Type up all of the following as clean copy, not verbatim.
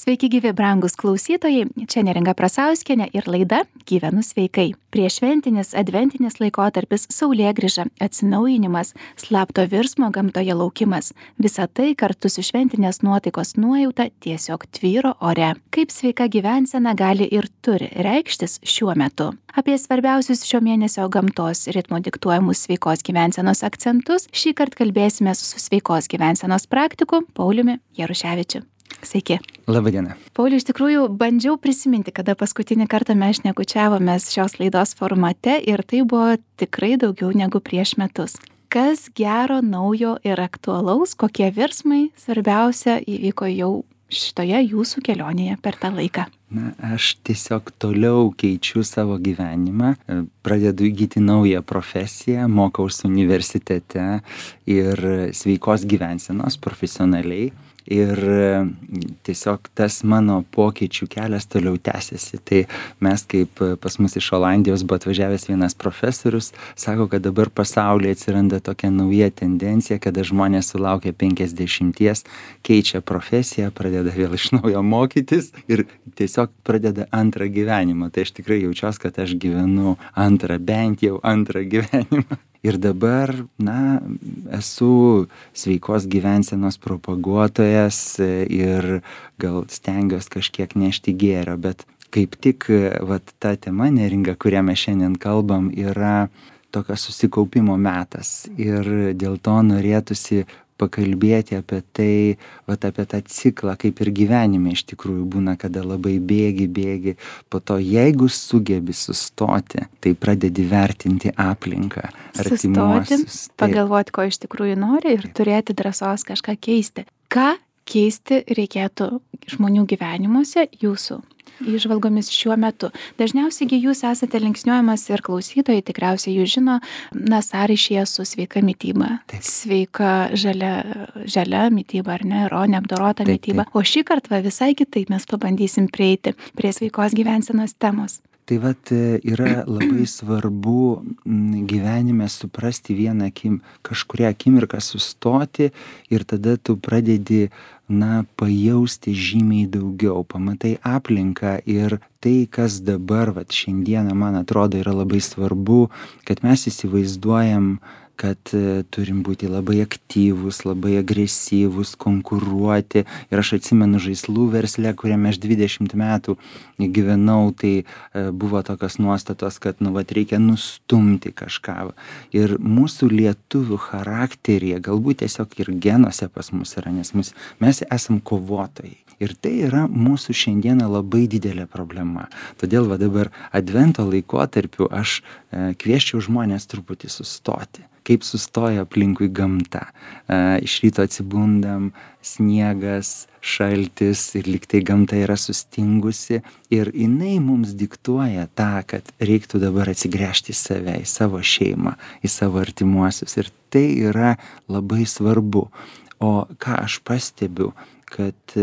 Sveiki gyvi brangūs klausytojai, čia Neringa Prasauskienė ir laida Gyvenu sveikai. Prieššventinis adventinis laikotarpis, saulėgrįža, atsinaujinimas, slapto virsmo gamtoje laukimas. Visa tai kartu su šventinės nuotaikos nuojauta tiesiog tvyro ore. Kaip sveika gyvensena gali ir turi reikštis šiuo metu. Apie svarbiausius šio mėnesio gamtos ritmo diktuojamus sveikos gyvensenos akcentus šįkart kalbėsime su sveikos gyvensenos praktiku Pauliumi Jaruševičiu. Sveiki. Labadiena. Pauliau, iš tikrųjų bandžiau prisiminti, kada paskutinį kartą mes šnekučiavomės šios laidos formate ir tai buvo tikrai daugiau negu prieš metus. Kas gero, naujo ir aktualaus, kokie virsmai svarbiausia įvyko jau šitoje jūsų kelionėje per tą laiką? Aš tiesiog toliau keičiu savo gyvenimą, pradedu įgyti naują profesiją, mokausi universitete ir sveikos gyvensenos profesionaliai. Ir tiesiog tas mano pokyčių kelias toliau tęsiasi. Tai mes kaip pas mus iš Olandijos buvo atvažiavęs vienas profesorius, sako, kad dabar pasaulyje atsiranda tokia nauja tendencija, kada žmonės sulaukia 50, keičia profesiją, pradeda vėl iš naujo mokytis ir tiesiog pradeda antrą gyvenimą. Tai aš tikrai jaučiuosi, kad aš gyvenu bent jau antrą gyvenimą. Ir dabar, esu sveikos gyvensenos propaguotojas ir gal stengiuosi kažkiek nešti gėrio, bet kaip tik ta tema, Neringa, kurią mes šiandien kalbam, yra tokio susikaupimo metas. Ir dėl to norėtųsi pakalbėti apie tai, apie tą ciklą, kaip ir gyvenime iš tikrųjų būna, kada labai bėgi, po to jeigu sugebi sustoti, tai pradedi vertinti aplinką, artimuosius. Sustoti, pagalvoti, ko iš tikrųjų nori ir turėti drąsos kažką keisti. Ką keisti reikėtų žmonių gyvenimuose jūsų įžvalgomis šiuo metu? Dažniausiai jūs esate linksniuojamas ir klausytojai tikriausiai jūs žino, sąryšyje su sveika mityba. Taip. Sveika žalia mityba, ar ne, neapdorota mityba. O šį kartą visai kitaip mes pabandysim prieiti prie sveikos gyvensenos temos. Tai yra labai svarbu gyvenime suprasti kažkurią akimirką sustoti ir tada tu pradedi pajausti žymiai daugiau, pamatai aplinką ir tai, kas dabar šiandieną, man atrodo, yra labai svarbu, kad mes įsivaizduojam, kad turim būti labai aktyvūs, labai agresyvūs, konkuruoti. Ir aš atsimenu žaislų versle, kuriame aš 20 metų gyvenau, tai buvo tokios nuostatos, kad reikia nustumti kažką. Ir mūsų lietuvių charakteryje, galbūt tiesiog ir genuose pas mus yra, nes mes esam kovotojai. Ir tai yra mūsų šiandieną labai didelė problema. Todėl dabar advento laikotarpiu aš kviesčiau žmonės truputį sustoti. Kaip sustoja aplinkui gamta. Iš ryto atsibundam, sniegas, šaltis ir lygtai gamta yra sustingusi. Ir jinai mums diktuoja tą, kad reiktų dabar atsigręžti į save, į savo šeimą, į savo artimuosius. Ir tai yra labai svarbu. O ką aš pastebiu, kad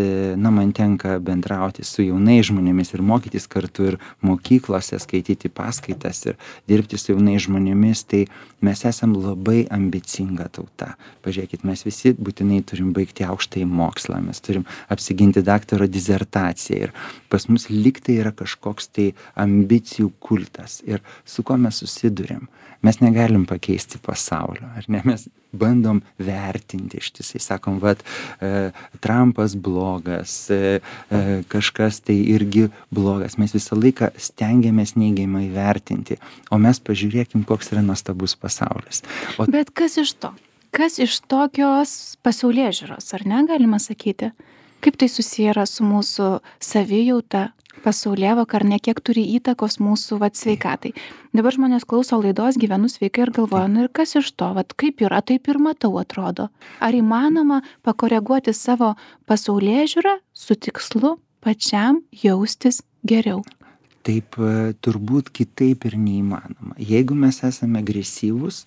man tenka bendrauti su jaunais žmonėmis ir mokytis kartu ir mokyklose, skaityti paskaitas ir dirbti su jaunais žmonėmis, tai mes esam labai ambicinga tauta. Pažiūrėkit, mes visi būtinai turim baigti aukštąjį mokslą, mes turim apsiginti daktaro disertaciją ir pas mus lygtai yra kažkoks tai ambicijų kultas. Ir su kuo mes susiduriam? Mes negalim pakeisti pasaulio, ar ne? Mes bandom vertinti ištisai, sakom, Trumpas blogas, kažkas tai irgi blogas. Mes visą laiką stengiamės neigiamai vertinti, o mes pažiūrėkim, koks yra nuostabus pasaulis. Bet kas iš to? Kas iš tokios pasaulėžiūros, ar ne, galima sakyti? Kaip tai susiję yra su mūsų savijauta, pasaulėvoka, ar ne, kiek turi įtakos mūsų sveikatai? Dabar žmonės klauso laidos Gyvenu sveikai ir galvoja, ir kas iš to, kaip yra, taip ir matau, atrodo. Ar įmanoma pakoreguoti savo pasaulėžiūrą su tikslu pačiam jaustis geriau? Taip, turbūt kitaip ir neįmanoma. Jeigu mes esame agresyvūs,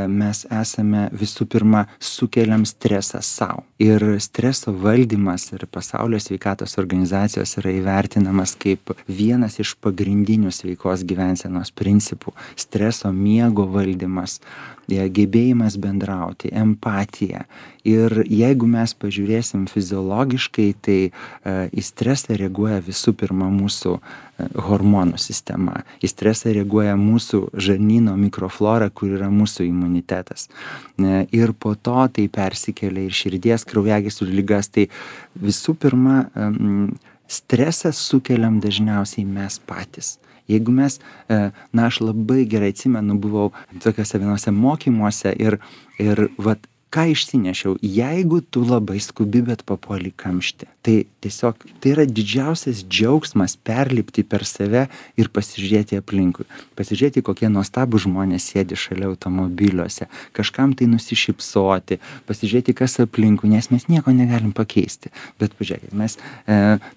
mes esame visų pirma sukeliam stresą savo. Ir streso valdymas ir Pasaulio sveikatos organizacijos yra įvertinamas kaip vienas iš pagrindinių sveikos gyvensenos principų. Streso miego valdymas. gebėjimas bendrauti, empatija. Ir jeigu mes pažiūrėsim fiziologiškai, tai į stresą reaguoja visų pirma mūsų hormonų sistema. Į stresą reaguoja mūsų žarnyno mikroflora, kur yra mūsų imunitetas. Ir po to tai persikelia ir širdies kraujagyslių ligas. Tai visų pirma, stresą sukeliam dažniausiai mes patys. Jeigu mes, aš labai gerai atsimenu, buvau tokiuose vienose mokymuose ir vat, ką išsinešiau, jeigu tu labai skubi, bet papuoli kamštį, tai tiesiog tai yra didžiausias džiaugsmas perlipti per save ir pasižiūrėti aplinkui. Pasižiūrėti, kokie nuostabų žmonės sėdi šalia automobiliuose, kažkam tai nusišypsoti, pasižiūrėti, kas aplinkui, nes mes nieko negalim pakeisti. Bet pažiūrėkit, mes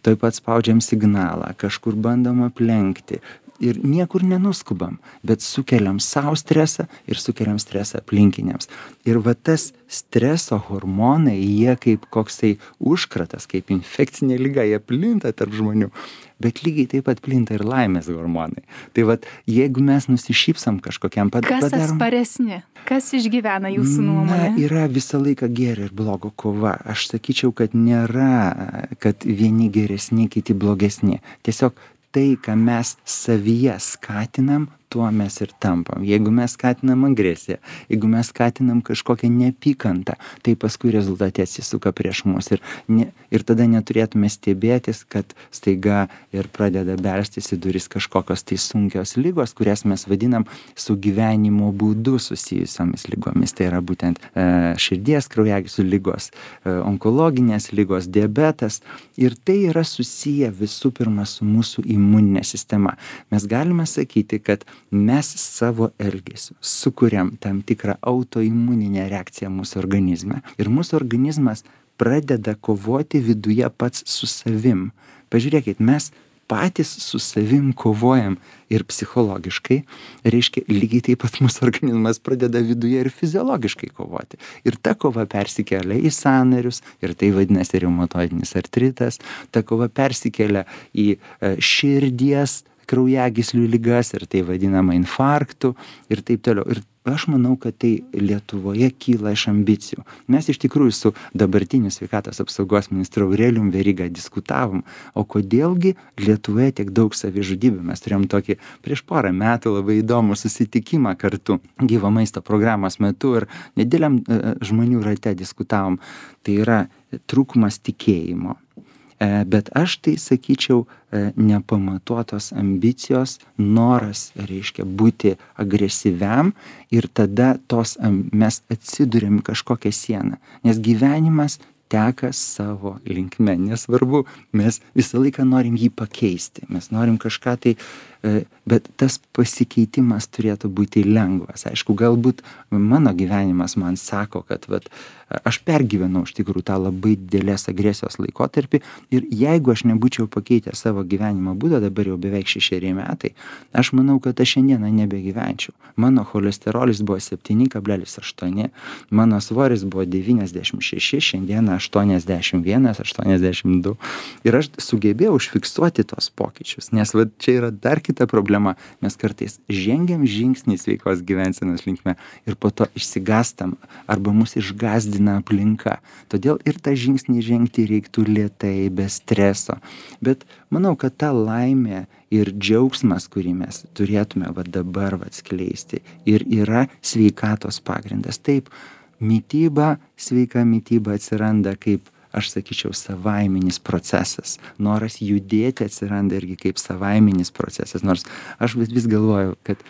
toj pat spaudžiam signalą, kažkur bandom aplenkti. Ir niekur nenuskubam, bet sukeliam savo stresą ir sukeliam stresą aplinkiniams. Ir va tas streso hormonai, jie kaip koksai užkratas, kaip infekcinė liga, jie plinta tarp žmonių. Bet lygiai taip pat plinta ir laimės hormonai. Tai vat, jeigu mes nusišypsam kažkokiam padarom... Kas atsparesni? Kas išgyvena jūsų nuomonė? Yra visą laiką gėrio ir blogo kova. Aš sakyčiau, kad nėra, kad vieni geresni, kiti blogesni. Tiesiog tai, ką mes savyje skatinam, tuo mes ir tampam. Jeigu mes skatinam agresiją, jeigu mes skatinam kažkokią neapykantą, tai paskui rezultate atsisuka prieš mus. Ir tada neturėtume stebėtis, kad staiga ir pradeda belstis į duris kažkokios tai sunkios ligos, kurias mes vadinam su gyvenimo būdu susijusiomis ligomis. Tai yra būtent širdies kraujagyslių ligos, onkologinės ligos, diabetas. Ir tai yra susiję visų pirma su mūsų imuninė sistema. Mes galime sakyti, kad mes savo elgesiu sukuriam tam tikrą autoimuninę reakciją mūsų organizme. Ir mūsų organizmas pradeda kovoti viduje pats su savim. Pažiūrėkit, mes patys su savim kovojam ir psichologiškai, reiškia, lygiai taip pat mūsų organizmas pradeda viduje ir fiziologiškai kovoti. Ir ta kova persikelia į sąnarius, ir tai vadinasi reumatoidinis artritas, ta kova persikelia į širdies kraujagyslių ligas, ir tai vadinama infarktu, ir taip toliau. Ir aš manau, kad tai Lietuvoje kyla iš ambicijų. Mes iš tikrųjų su dabartiniu sveikatos apsaugos ministru Aurelijum Veryga diskutavom, o kodėlgi Lietuvoje tiek daug savižudybių. Mes turėjom tokį prieš porą metų labai įdomų susitikimą kartu gyvo maisto programos metu ir nedėliam žmonių rate diskutavom. Tai yra trūkumas tikėjimo. Bet aš tai sakyčiau nepamatuotos ambicijos, noras, reiškia, būti agresyviam ir tada mes atsiduriam kažkokią sieną. Nes gyvenimas teka savo linkme. Nesvarbu, mes visą laiką norim jį pakeisti. Mes norim kažką tai, bet tas pasikeitimas turėtų būti lengvas. Aišku, galbūt mano gyvenimas man sako, kad aš pergyvenau iš tikrųjų tą labai didelės agresijos laikotarpį ir jeigu aš nebūčiau pakeitęs savo gyvenimo būdą, dabar jau beveik 6 metai, aš manau, kad aš šiandieną nebegyvenčiau. Mano cholesterolis buvo 7,8, mano svoris buvo 96, šiandieną 81, 82. Ir aš sugebėjau užfiksuoti tos pokyčius, nes čia yra dar kita problema. Mes kartais žengiam žingsnį sveikos gyvensenos linkme ir po to išsigastam arba mus išgazdina aplinka. Todėl ir tą žingsnį žengti reiktų lėtai, be streso. Bet manau, kad ta laimė ir džiaugsmas, kurį mes turėtume dabar skleisti, ir yra sveikatos pagrindas. Taip, sveika mityba atsiranda kaip, aš sakyčiau, savaiminis procesas. Noras judėti atsiranda irgi kaip savaiminis procesas. Nors aš vis galvoju, kad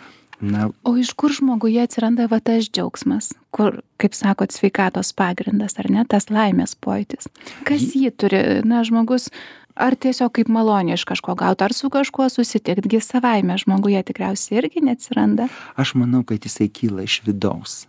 O iš kur žmoguje atsiranda tas džiaugsmas, kur, kaip sakot, sveikatos pagrindas, ar ne, tas laimės pojūtis? Kas jį turi, žmogus, ar tiesiog kaip malonė iš kažko gauti, ar su kažkuo susitiktgi savaime žmoguje tikriausiai irgi neatsiranda? Aš manau, kad jisai kyla iš vidaus.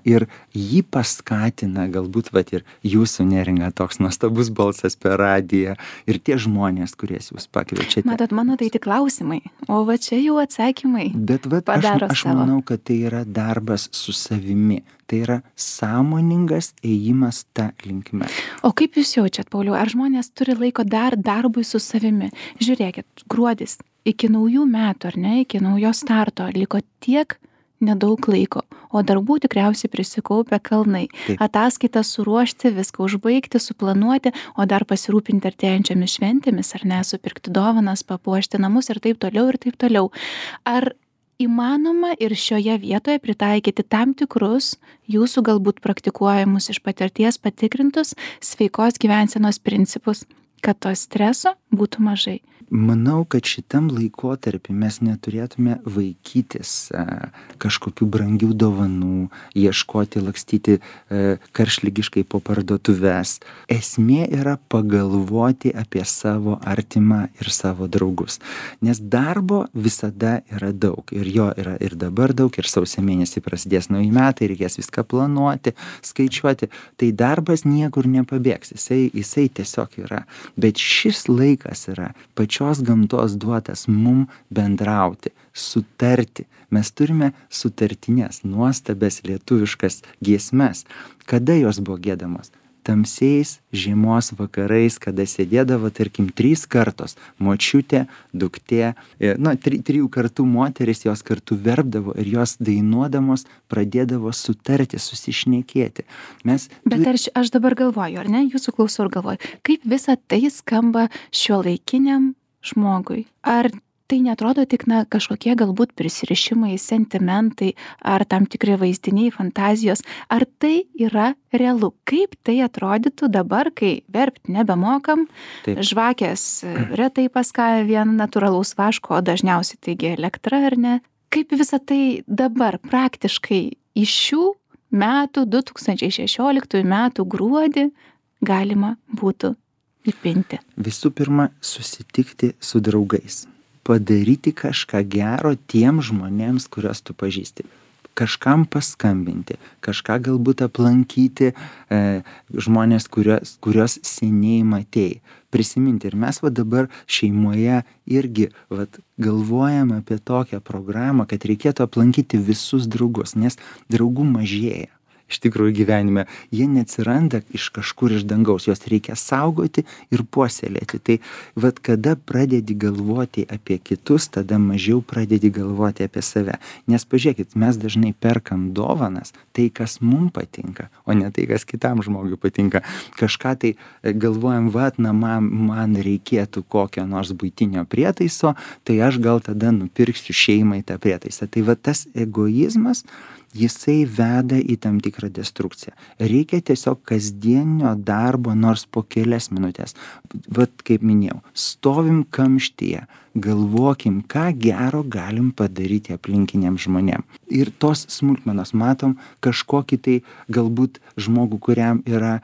Ir jį paskatina galbūt ir jūsų, Neringa, toks nuostabus balsas per radiją ir tie žmonės, kuriais jūs pakviečiate. Matot, mano tai tik klausimai, o čia jau atsakymai. Bet aš manau, kad tai yra darbas su savimi. Tai yra sąmoningas ėjimas tą linkme. O kaip jūs jaučiat, Pauliau, ar žmonės turi laiko dar darbui su savimi? Žiūrėkit, gruodis iki naujų metų, ar ne, iki naujo starto liko tiek nedaug laiko, o darbų tikriausiai prisikaupia kalnai. Taip. Ataskaitą suruošti, viską užbaigti, suplanuoti, o dar pasirūpinti artėjančiamis šventėmis, ar ne, supirkti dovanas, papuošti namus ir taip toliau ir taip toliau. Ar įmanoma ir šioje vietoje pritaikyti tam tikrus jūsų galbūt praktikuojamus iš patirties patikrintus sveikos gyvensenos principus, kad to streso būtų mažai? Manau, kad šitam laikotarpį mes neturėtume vaikytis kažkokių brangių dovanų, ieškoti, lakstyti karštligiškai po parduotuves. Esmė yra pagalvoti apie savo artimą ir savo draugus. Nes darbo visada yra daug. Ir jo yra ir dabar daug, ir sausio mėnesį prasidės nauji metai, reikės viską planuoti, skaičiuoti. Tai darbas niekur nepabėgs, jisai tiesiog yra. Bet šis laikas yra pačios gamtos duotas mum bendrauti, sutarti. Mes turime sutartinės, nuostabes lietuviškas giesmes. Kada jos buvo giedamos? Tamsiais žiemos vakarais, kada sėdėdavo, tarkim, 3 kartos. Močiutė, duktė, 3 kartų moteris, jos kartu verpdavo ir jos dainuodamos pradėdavo sutarti, susišnekėti. Bet aš dabar galvoju, ar ne, jūsų klausau ir galvoju, kaip visa tai skamba šiuolaikiniam žmogui? Ar tai netrodo tik kažkokie galbūt prisirišimai, sentimentai ar tam tikri vaizdiniai, fantazijos? Ar tai yra realu? Kaip tai atrodytų dabar, kai verpt nebemokam, Taip. žvakės retai paskaja vien natūralaus vaško, o dažniausiai taigi elektra, ar ne? Kaip visa tai dabar praktiškai iš šių metų, 2016 metų gruodį galima būtų įpinti? Visų pirma, susitikti su draugais. Padaryti kažką gero tiem žmonėms, kuriuos tu pažįsti. Kažkam paskambinti, kažką galbūt aplankyti žmonės, kuriuos seniai matėjai. Prisiminti. Ir mes dabar šeimoje irgi galvojam apie tokią programą, kad reikėtų aplankyti visus draugus, nes draugų mažėja. Iš tikrųjų gyvenime, jie neatsiranda iš kažkur iš dangaus, juos reikia saugoti ir puoselėti. Tai kada pradedi galvoti apie kitus, tada mažiau pradedi galvoti apie save. Nes pažiūrėkit, mes dažnai perkam dovanas, tai kas mums patinka, o ne tai, kas kitam žmogui patinka. Kažką tai galvojam, man reikėtų kokio nors buitinio prietaiso, tai aš gal tada nupirksiu šeimai tą prietaisą. Tai tas egoizmas, jisai veda į tam tikrą destrukciją. Reikia tiesiog kasdienio darbo, nors po kelias minutės. Kaip minėjau, stovim kamštyje, galvokim, ką gero galim padaryti aplinkiniam žmonėm. Ir tos smulkmenos matom kažkokį tai galbūt žmogų, kuriam yra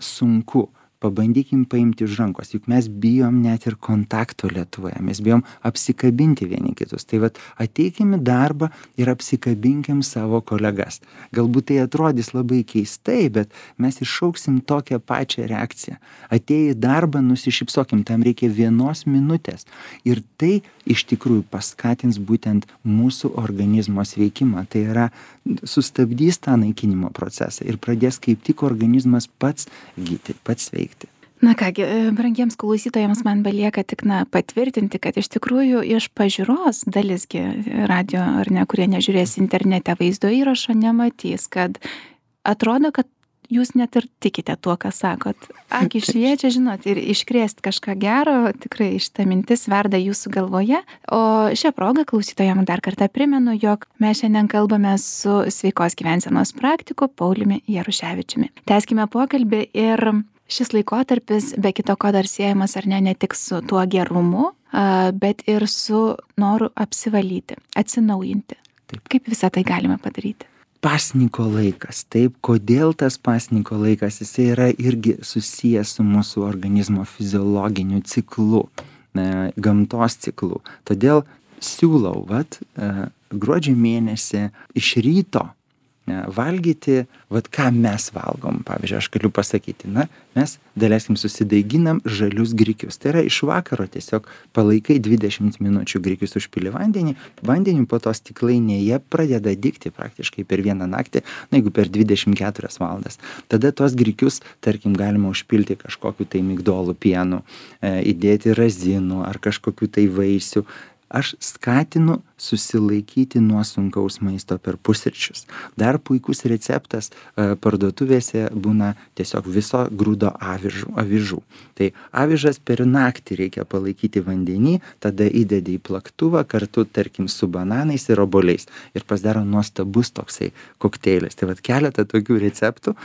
sunku. Pabandykim paimti už rankos, juk mes bijom net ir kontakto Lietuvoje, mes bijom apsikabinti vieni kitus. Tai ateikim į darbą ir apsikabinkim savo kolegas. Galbūt tai atrodys labai keistai, bet mes iššauksim tokią pačią reakciją. Atėję į darbą, nusišypsokim, tam reikia 1 minutės. Ir tai iš tikrųjų paskatins būtent mūsų organizmo sveikimą. Tai yra sustabdys tą naikinimo procesą ir pradės kaip tik organizmas pats gyti, pats veikti. Na kągi, brangiems klausytojams man belieka tik patvirtinti, kad iš tikrųjų iš pažiūros dalisgi radio ar ne, kurie nežiūrės internete vaizdo įrašo, nematys, kad atrodo, kad jūs net ir tikite tuo, ką sakot. Akys šviečia, žinot, ir iškrėst kažką gero, tikrai šita mintis verda jūsų galvoje. O šią progą klausytojams dar kartą primenu, jog mes šiandien kalbame su sveikos gyvensenos praktiku Pauliumi Jaruševičiumi. Tęskime pokalbį ir šis laikotarpis be kito ko dar siejamas ar ne tik su tuo gerumu, bet ir su noru apsivalyti, atsinaujinti. Taip. Kaip visą tai galime padaryti? Pasniko laikas. Taip, kodėl tas pasniko laikas? Jisai yra irgi susijęs su mūsų organizmo fiziologiniu ciklu, gamtos ciklu. Todėl siūlau, gruodžio mėnesį iš ryto valgyti, ką mes valgom. Pavyzdžiui, aš galiu pasakyti, mes daleiskim susidaiginam žalius grikius. Tai yra iš vakaro tiesiog palaikai 20 minučių grikius užpili vandeniu, po to stiklainėje pradeda dygti praktiškai per vieną naktį, jeigu per 24 valandas. Tada tos grikius, tarkim, galima užpilti kažkokiu tai migdolų pienu, įdėti razinų ar kažkokiu tai vaisių. Aš skatinu susilaikyti nuo sunkaus maisto per pusryčius. Dar puikus receptas parduotuvėse būna tiesiog viso grūdo avižų. Tai avižas per naktį reikia palaikyti vandenį, tada įdedi į plaktuvą kartu, tarkim, su bananais ir obuoliais. Ir pasidaro nuostabus toksai kokteilis. Tai vat keletą tokių receptų.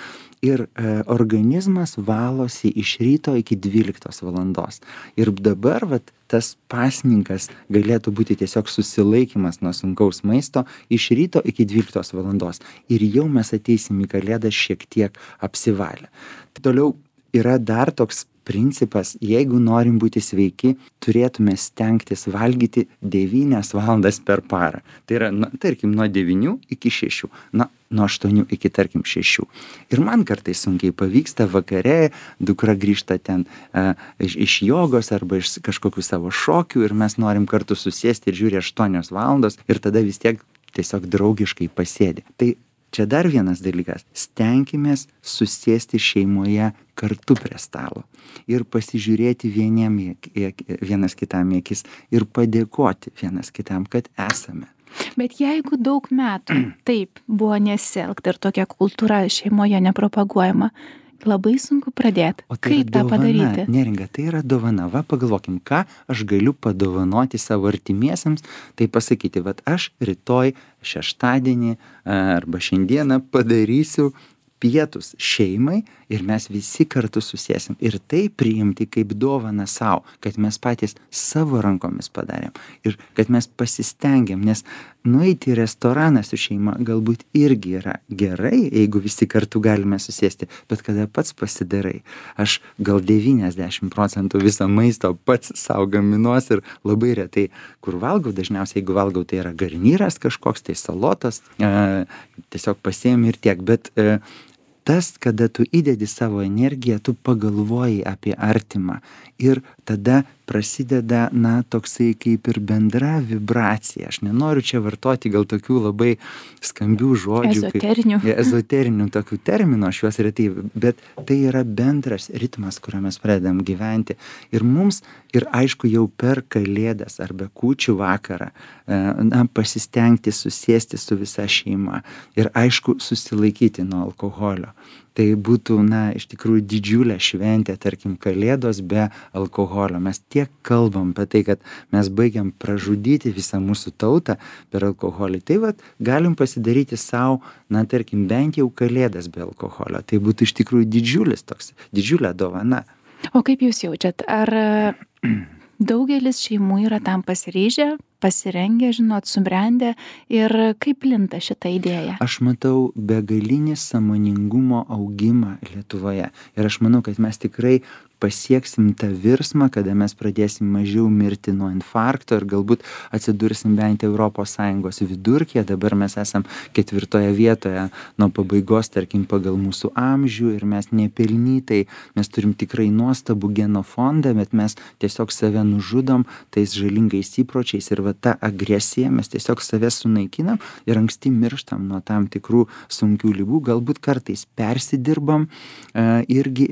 Ir organizmas valosi iš ryto iki 12 valandos. Ir dabar vat, tas pasninkas galėtų būti tiesiog susilaikymas nuo sunkaus maisto iš ryto iki 12 valandos. Ir jau mes ateisim į Kalėdas šiek tiek apsivalę. Toliau yra dar toks principas, jeigu norim būti sveiki, turėtume stengtis valgyti 9 valandas per parą. Tai yra, tarkim, nuo 9 iki 6. Nuo 8 iki, tarkim, 6. Ir man kartais sunkiai pavyksta, vakare dukra grįžta ten iš jogos arba iš kažkokių savo šokių ir mes norim kartu susėsti ir žiūri 8 valandos ir tada vis tiek tiesiog draugiškai pasėdi. Tai čia dar vienas dalykas. Stenkimės susėsti šeimoje kartu prie stalo ir pasižiūrėti vienas kitam į akis ir padėkoti vienas kitam, kad esame. Bet jeigu daug metų taip buvo nesielgta ir tokia kultūra šeimoje nepropaguojama, labai sunku pradėti. O tai kaip tą padaryti? Neringa, tai yra dovana. Va, pagalvokim, ką aš galiu padovanoti savo artimiesiems. Tai pasakyti, vat aš rytoj, šeštadienį arba šiandieną padarysiu pietus šeimai ir mes visi kartu susėsim. Ir tai priimti kaip dovaną savo, kad mes patys savo rankomis padarėm. Ir kad mes pasistengėm, nes nueiti į restoraną su šeima galbūt irgi yra gerai, jeigu visi kartu galime susėsti, bet kada pats pasidarai. Aš gal 90% viso maisto pats savo gaminuos ir labai retai, kur valgau, dažniausiai jeigu valgau, tai yra garnyras kažkoks, tai salotas, tiesiog pasiėmi ir tiek, bet tas, kada tu įdedi savo energiją, tu pagalvoji apie artimą ir tada prasideda, toksai kaip ir bendra vibracija. Aš nenoriu čia vartoti gal tokių labai skambių žodžių. Ezoterinių tokių terminų, aš juos retai, bet tai yra bendras ritmas, kuriuo mes pradedam gyventi. Ir mums, ir aišku, jau per Kalėdas arba kūčių vakarą, pasistengti susėsti su visa šeima ir aišku, susilaikyti nuo alkoholio. Tai būtų, iš tikrųjų didžiulė šventė, tarkim, Kalėdos be alkoholio. Mes tiek kalbam apie tai, kad mes baigiam pražudyti visą mūsų tautą per alkoholį. Tai vat, galim pasidaryti savo, tarkim, bent jau Kalėdas be alkoholio. Tai būtų iš tikrųjų didžiulė dovana. O kaip jūs jaučiat? Ar daugelis šeimų yra tam pasiryžę, pasirengę, subrendę ir kaip plinta šitą idėją? Aš matau begalinį sąmoningumo augimą Lietuvoje ir aš manau, kad mes tikrai pasieksim tą virsmą, kada mes pradėsim mažiau mirti nuo infarkto ir galbūt atsidursim bent ES vidurkyje. Dabar mes esam 4 vietoje nuo pabaigos, tarkim, pagal mūsų amžių ir mes nepelnytai, mes turim tikrai nuostabų genofondą, bet mes tiesiog save nužudom tais žalingais įpročiais ir va tą agresiją mes tiesiog save sunaikinam ir anksti mirštam nuo tam tikrų sunkių ligų, galbūt kartais persidirbam, irgi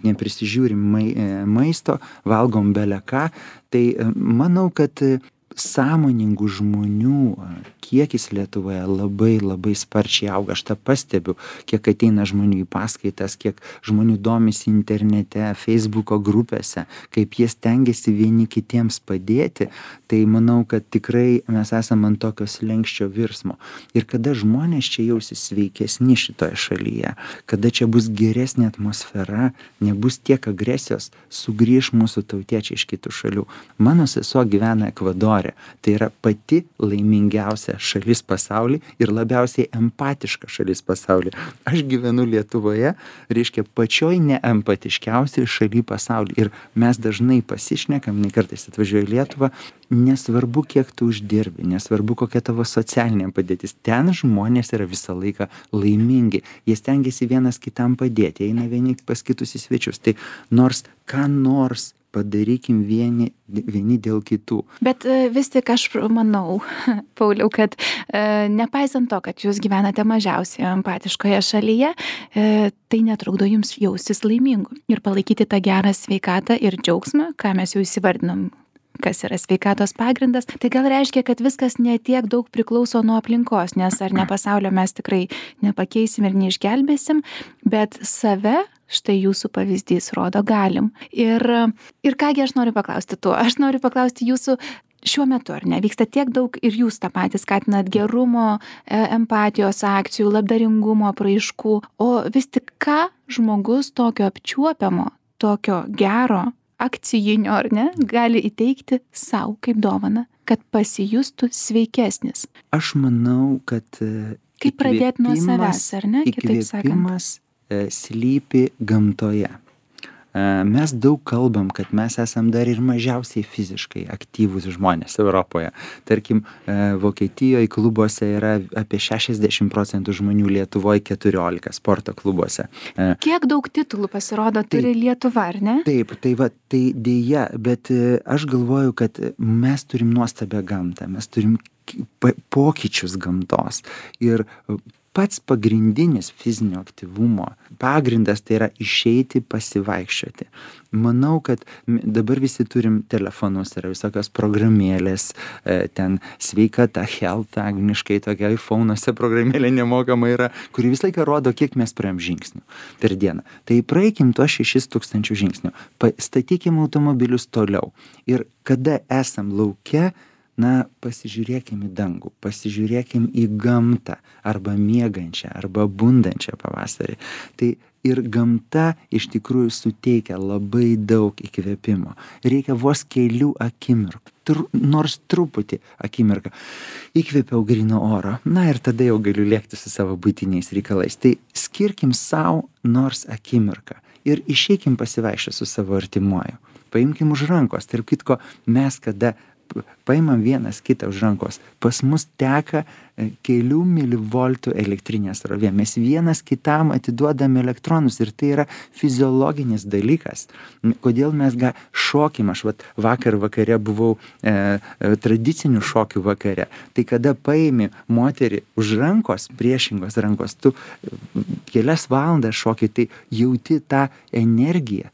neprisižiūrim maisto, valgom bele ką. Tai manau, kad sąmoningų žmonių kiekis Lietuvoje labai sparčiai auga. Aš tą pastebiu, kiek ateina žmonių į paskaitas, kiek žmonių domisi internete, Facebooko grupėse, kaip jie stengiasi vieni kitiems padėti. Tai manau, kad tikrai mes esame ant tokio slenksčio virsmo. Ir kada žmonės čia jausis sveikesni šitoje šalyje, kada čia bus geresnė atmosfera, nebus tiek agresijos, sugrįš mūsų tautiečiai iš kitų šalių. Mano sesuo gyvena Ekvadore. Tai yra pati laimingiausia šalis pasaulyje ir labiausiai empatiška šalis pasaulyje. Aš gyvenu Lietuvoje, reiškia pačioj neempatiškiausiai šaly pasaulyje. Ir mes dažnai pasišnekam, kartais atvažiuoju į Lietuvą, nesvarbu, kiek tu uždirbi, nesvarbu, kokia tavo socialinė padėtis. Ten žmonės yra visą laiką laimingi. Jie stengiasi vienas kitam padėti, eina vieni pas kitus į svečius. Tai nors ką nors padarykim vieni dėl kitų. Bet vis tik aš manau, Pauliau, kad nepaisant to, kad jūs gyvenate mažiausiai empatiškoje šalyje, tai netrukdo jums jaustis laimingu ir palaikyti tą gerą sveikatą ir džiaugsmą, ką mes jau įsivardinom. kas yra sveikatos pagrindas, tai gal reiškia, kad viskas netiek daug priklauso nuo aplinkos, nes ar ne pasaulio mes tikrai nepakeisim ir neišgelbėsim, bet save, štai jūsų pavyzdys rodo, galim. Ir kągi aš noriu paklausti tuo, aš noriu paklausti jūsų šiuo metu, ar ne, vyksta tiek daug ir jūs tą patį skatinat gerumo, empatijos akcijų, labdaringumo apraiškų, o vis tik ką žmogus tokio apčiuopiamo, tokio gero, akcijinio, ar ne, gali įteikti savo kaip dovaną, kad pasijustų sveikesnis? Aš manau, kad kaip pradėti nuo savęs, ar ne, kitaip sakant? Įkvėpimas slypi gamtoje. Mes daug kalbam, kad mes esam dar ir mažiausiai fiziškai aktyvūs žmonės Europoje. Tarkim, Vokietijoje klubuose yra apie 60% žmonių, Lietuvoje 14 sporto klubuose. Kiek daug titulų pasirodo turi Lietuva, ar ne? Taip, tai dėja, bet aš galvoju, kad mes turim nuostabią gamtą, mes turim pokyčius gamtos ir pats pagrindinis fizinio aktyvumo pagrindas tai yra išeiti pasivaikščioti. Manau, kad dabar visi turim telefonus, yra visokios programėlės, ten sveikata, health, angliškai tokia iPhone'uose programėlė nemokama yra, kuri visą laiką rodo, kiek mes praėjom žingsnių per dieną. Tai praeikim tuos 6000 žingsnių, statykim automobilius toliau ir kada esam lauke, pasižiūrėkim į dangų, pasižiūrėkim į gamtą, arba miegančią, arba bundančią pavasarį. Tai ir gamta iš tikrųjų suteikia labai daug įkvėpimo. Reikia vos kelių akimirkų, nors truputį akimirką. Įkvėpiau gryno oro, ir tada jau galiu lėkti su savo buitiniais reikalais. Tai skirkim savo nors akimirką ir išeikim pasivaikščioti su savo artimuoju. Paimkim už rankos, tarp kitko, mes kada paimam vienas kitą už rankos, pas mus teka kelių milivoltų elektrinė srovė. Mes vienas kitam atiduodam elektronus ir tai yra fiziologinis dalykas. Kodėl mes šokim, aš vakar vakare buvau tradicinių šokių vakare. Tai kada paimi moterį už rankos, priešingos rankos, tu kelias valandas šoki, tai jauti tą energiją.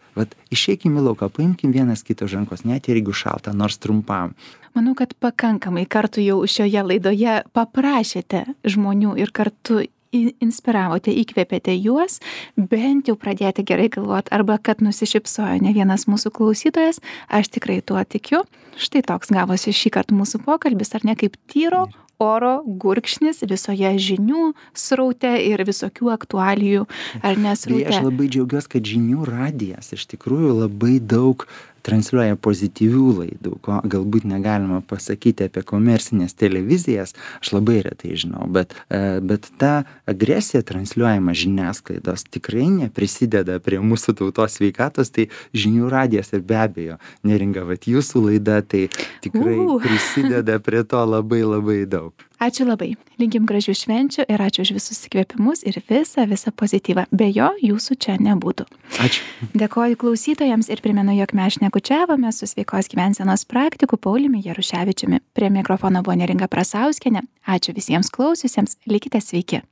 Išeikim į lauką, paimkim vienas kitą už rankos, net ir jeigu šalta, nors trumpam. Manau, kad pakankamai kartų jau šioje laidoje paprašėte žmonių ir kartu inspiravote, įkvėpėte juos, bent jau pradėti gerai galvoti, arba kad nusišypsojo ne vienas mūsų klausytojas, aš tikrai tuo tikiu. Štai toks gavosi šį kartą mūsų pokalbis, ar ne, kaip tyro oro gurkšnis visoje žinių sraute ir visokių aktualijų, ar nesraute. Aš labai džiaugiuosi, kad žinių radijas iš tikrųjų labai daug transliuoja pozityvių laidų, ko galbūt negalima pasakyti apie komercinės televizijas, aš labai retai žinau, bet ta agresija transliuojama žiniasklaidos tikrai neprisideda prie mūsų tautos sveikatos, tai žinių radijas ir be abejo, Neringa, jūsų laida tai tikrai prisideda prie to labai labai daug. Ačiū labai. Linkim gražių švenčių ir ačiū už visus įkvėpimus ir visą pozityvą. Be jo jūsų čia nebūtų. Ačiū. Dėkoju klausytojams ir primenu, jog mes šnekučiavome su sveikos gyvensenos praktiku Pauliumi Jaruševičiumi. Prie mikrofono buvo Neringa Prasauskienė. Ačiū visiems klausiusiems. Likite sveiki.